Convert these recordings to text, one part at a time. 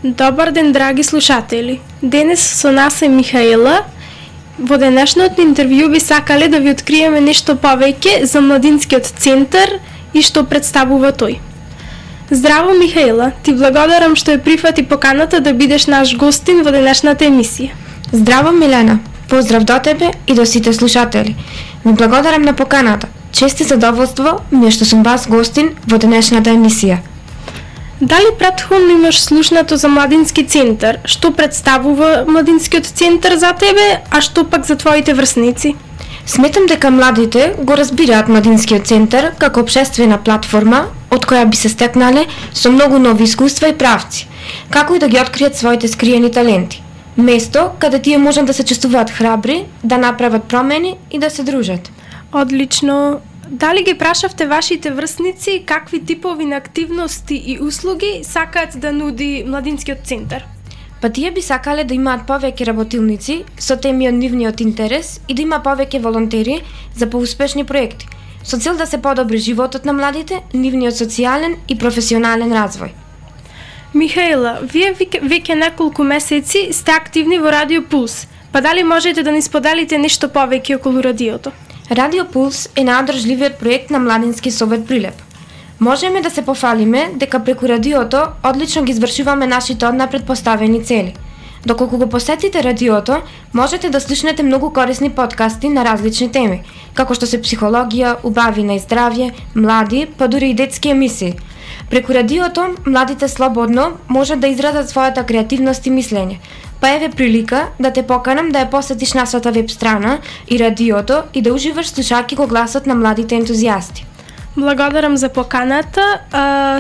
Добар ден, драги слушатели. Денес со нас е Михаела. Во денешното интервју би сакале да ви откриеме нешто повеќе за Младинскиот центар и што представува тој. Здраво, Михаела, ти благодарам што ја прифати поканата да бидеш наш гостин во денешната емисија. Здраво, Милена. Поздрав до тебе и до сите слушатели. Ви благодарам на поканата. Чест и задоволство ми е што сум вас гостин во денешната емисија. Дали претходно имаш слушнато за Младински центар? Што представува Младинскиот центар за тебе, а што пак за твоите врсници? Сметам дека младите го разбираат Младинскиот центар како општествена платформа од која би се стекнале со многу нови искуства и правци, како и да ги откријат своите скриени таленти. Место каде тие можат да се чувствуваат храбри, да направат промени и да се дружат. Одлично. Дали ги прашавте вашите врсници какви типови на активности и услуги сакаат да нуди Младинскиот центар? Па тие би сакале да имаат повеќе работилници со теми од нивниот интерес и да има повеќе волонтери за поуспешни проекти, со цел да се подобри животот на младите, нивниот социјален и професионален развој. Михаела, вие веќе неколку месеци сте активни во Радио Пулс, па дали можете да ни споделите нешто повеќе околу радиото? Радио Пулс е најодржливиот проект на Младински совет Прилеп. Можеме да се пофалиме дека преку радиото одлично ги извршуваме нашите однапред поставени цели. Доколку го посетите радиото, можете да слушнете многу корисни подкасти на различни теми, како што се психологија, убавина и здравје, млади, па дури и детски емисии. Преку радиото, младите слободно можат да изразат својата креативност и мислење. Па еве прилика да те поканам да ја посетиш нашата веб страна и радиото и да уживаш слушајќи го гласот на младите ентузијасти. Благодарам за поканата.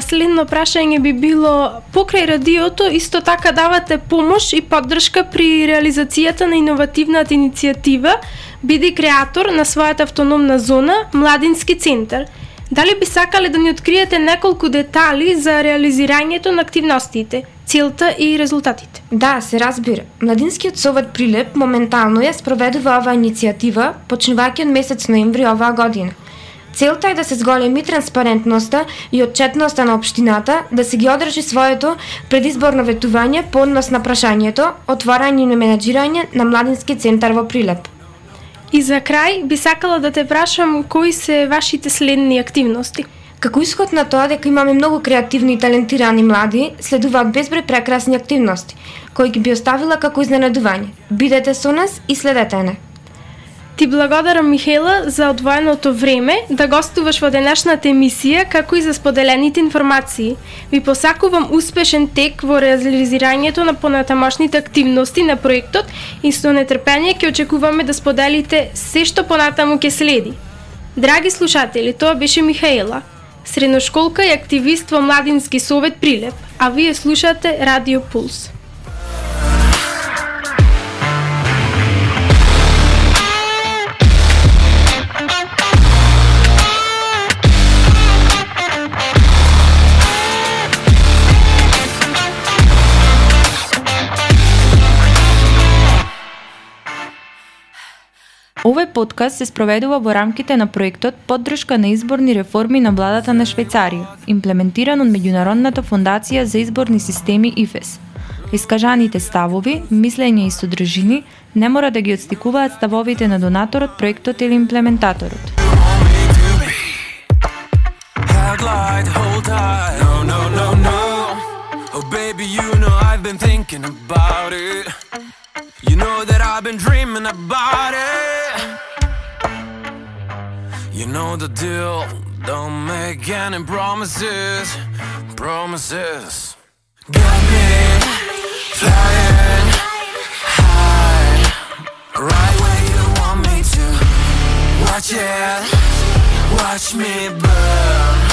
Следно прашање би било, покрај радиото исто така давате помош и поддршка при реализацијата на иновативната иницијатива Биди креатор на својата автономна зона Младински центар. Дали би сакале да ни откриете неколку детали за реализирањето на активностите, целта и резултатите? Да, се разбира. Младинскиот совет Прилеп моментално ја спроведува оваа иницијатива, почнувајќи од месец ноември оваа година. Целта е да се зголеми транспарентноста и отчетноста на општината, да се ги одржи своето предизборно ветување по однос на прашањето, отворање и менаџирање на Младински центар во Прилеп. И за крај би сакала да те прашам кои се вашите следни активности? Како исход на тоа дека имаме многу креативни и талентирани млади, следуваат безброј прекрасни активности, кои ги би оставила како изненадување. Бидете со нас и следете не. Ти благодарам, Михаела, за одвоеното време да гостуваш во денешната емисија, како и за споделените информации. Ви посакувам успешен тек во реализирањето на понатамошните активности на проектот и со нетрпение ќе очекуваме да споделите се што понатаму ќе следи. Драги слушатели, тоа беше Михаела, средношколка и активист во Младински совет Прилеп, а вие слушате Радио Пулс. Овој подкаст се спроведува во рамките на проектот Поддршка на изборни реформи на владата на Швајцарија, имплементиран од Меѓународната фондација за изборни системи ИФЕС. Искажаните ставови, мислења и содржини не мора да ги отстикуваат ставовите на донаторот, проектот или имплементаторот. You know that I've been dreaming about it. You know the deal, don't make any promises. Got me flying high, right where you want me to. Watch me burn.